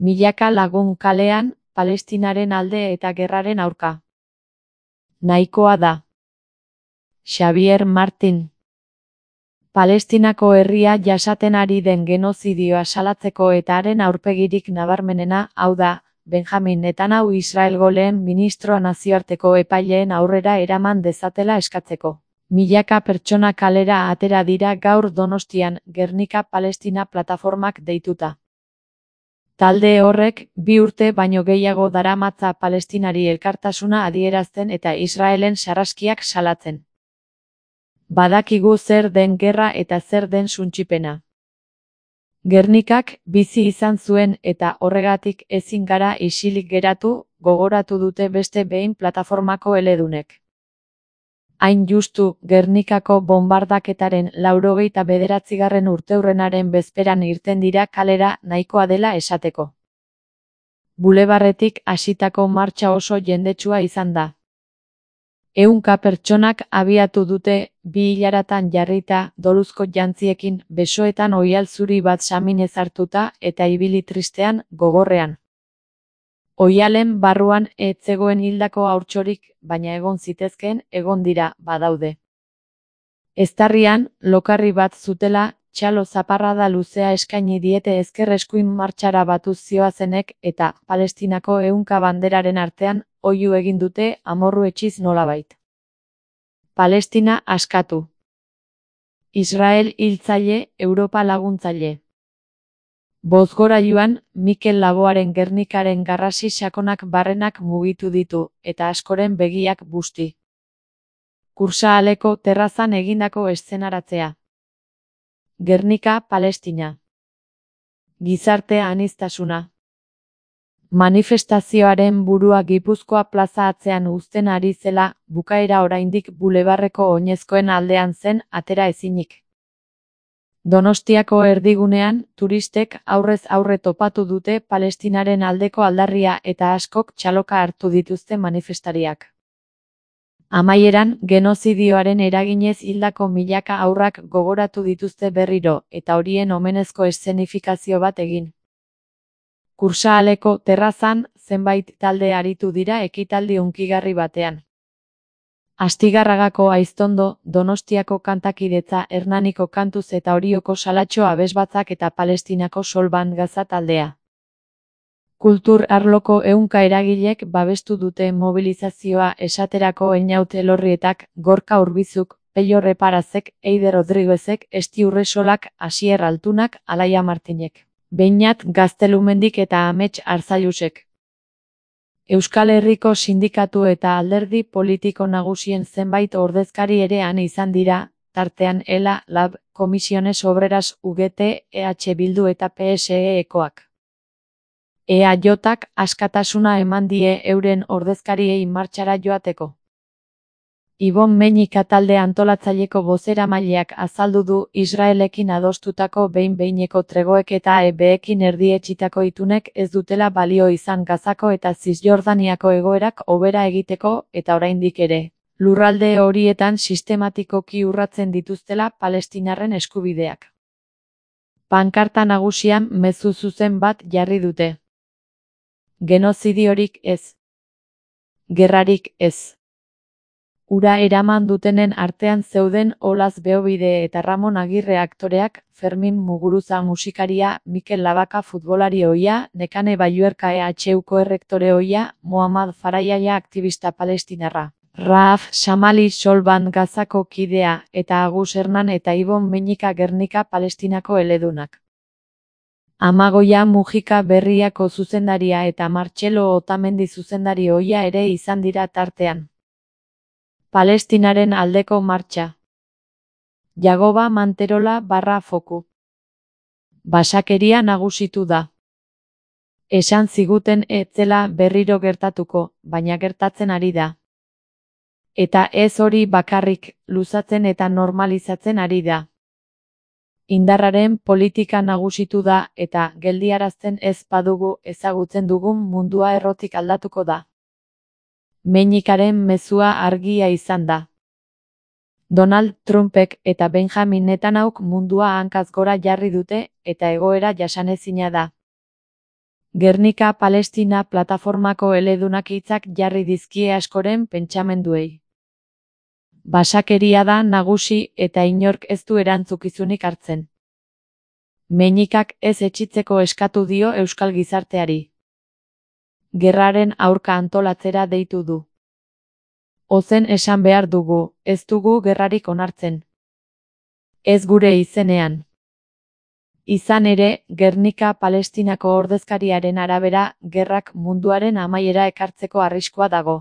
Milaka lagun kalean, Palestinaren alde eta gerraren aurka. Nahikoa da. Xavier Martin. Palestinako herria jasaten ari den genozidioa salatzeko eta haren aurpegirik nabarmenena, hau da, Benjamin Netanyahu Israelgo lehen ministroa nazioarteko epaileen aurrera eraman dezatela eskatzeko. Milaka pertsona kalera atera dira gaur Donostian, Gernika Palestina plataformak deituta. Talde horrek, 2 urte baino gehiago daramatza Palestinari elkartasuna adierazten eta Israelen sarraskiak salatzen. Badakigu zer den gerra eta zer den suntsipena. Gernikak bizi izan zuen eta horregatik ezin gara isilik geratu, gogoratu dute beste behin plataformako eledunek. Hain justu, Gernikako bonbardaketaren 89. urteurrenaren bezperan irten dira kalera nahikoa dela esateko. Bulebarretik hasitako martxa oso jendetsua izan da. 100 pertsonak abiatu dute, 2 hilaratan jarrita, doluzko jantziekin, besoetan oihal zuri bat saminez hartuta eta ibili tristean, gogorrean. Oihalen barruan ez zegoen hildako haurtxorik, baina egon zitezkeen, egon dira, badaude. Eztarrian, lokarri bat zutela, txalo zaparrada luzea eskaini diete ezker eskuin martxara batuz zioazenek eta Palestinako 100 banderaren artean, oihu egin dute amorru etxiz nolabait. Palestina askatu. Israel hiltzaile, Europa laguntzaile. Bozgorailuan, Mikel Laboaren Gernikaren garrasi sakonak barrenak mugitu ditu, eta askoren begiak busti. Kursahaleko terrazan egindako eszenaratzea. Gernika, Palestina. Gizarte aniztasuna. Manifestazioaren burua Gipuzkoa plaza atzean uzten ari zela, bukaera oraindik bulebarreko oinezkoen aldean zen atera ezinik. Donostiako erdigunean, turistek aurrez aurre topatu dute Palestinaren aldeko aldarria eta askok txaloka hartu dituzte manifestariak. Amaieran, genozidioaren eraginez hildako milaka haurrak gogoratu dituzte berriro, eta horien omenezko eszenifikazio bat egin. Kursahaleko terrazan, zenbait talde aritu dira ekitaldi hunkigarri batean. Astigarragako Aiztondo, Donostiako kantakidetza Hernaniko kantuz eta Orioko salatxo abesbatzak eta Palestinako Solban Gaza taldea. Kultur arloko 100 eragilek babestu dute mobilizazioa esaterako Einaut Elorrietak, Gorka Urbizuk, Pello Reparazek, Eider Rodriguezek, Esti Urresolak, Asier Altunak, Alaia Martinek. Beñat Gaztelumendik eta Amets Arzailusek. Euskal Herriko sindikatu eta alderdi politiko nagusien zenbait ordezkari ere han izan dira, tartean ELA, LAB, Comisiones Obreras UGT, EH Bildu eta PSE-ekoak. EAJak askatasuna eman die euren ordezkariei martxara joateko. Ibon Meñika talde antolatzaileko bozeramaileak azaldu du Israelekin adostutako behin-behineko tregoek eta EBekin erdietsitako itunek ez dutela balio izan Gazako eta Zisjordaniako egoerak hobera egiteko eta oraindik ere, lurralde horietan sistematikoki urratzen dituztela Palestinarren eskubideak. Pankarta nagusian mezu zuzen bat jarri dute. Genozidiorik ez. Gerrarik ez. Ura eraman dutenen artean zeuden Olaz Beobide eta Ramon Agirre aktoreak, Fermin Muguruza musikaria, Mikel Labaka futbolari ohia, Nekane Balluerka EHUko errektore ohia, Muhammad Farayaia aktivista palestinarra, Raaf Shamali Solban Gazako kidea, eta Agus Hernan eta Ibon Meñika Gernika Palestinako eledunak. Amagoia Mujika Berriako zuzendaria eta Martxelo Otamendi zuzendari ohia ere izan dira tartean. Palestinaren aldeko martxa. Jagoba Manterola / Foku. Basakeria nagusitu da. Esan ziguten ez zela berriro gertatuko, baina gertatzen ari da. Eta ez hori bakarrik, luzatzen eta normalizatzen ari da. Indarraren politika nagusitu da eta geldiarazten ez badugu ezagutzen dugun mundua errotik aldatuko da. Meñikaren mezua argia izan da. Donald Trumpek eta Benjamin Netanyahuk mundua hankaz gora jarri dute eta egoera jasanezina da. Gernika Palestina plataformako eledunak hitzak jarri dizkie askoren pentsamenduei. Basakeria da nagusi eta inork ez du erantzukizunik hartzen. Meñikak ez etxitzeko eskatu dio euskal gizarteari. Gerraren aurka antolatzera deitu du. Ozen esan behar dugu, ez dugu gerrarik onartzen. Ez gure izenean. Izan ere, Gernika Palestinako ordezkariaren arabera, gerrak munduaren amaiera ekartzeko arriskua dago.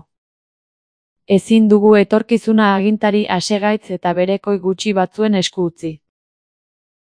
Ezin dugu etorkizuna agintari asegaitz eta berekoi gutxi batzuen esku utzi.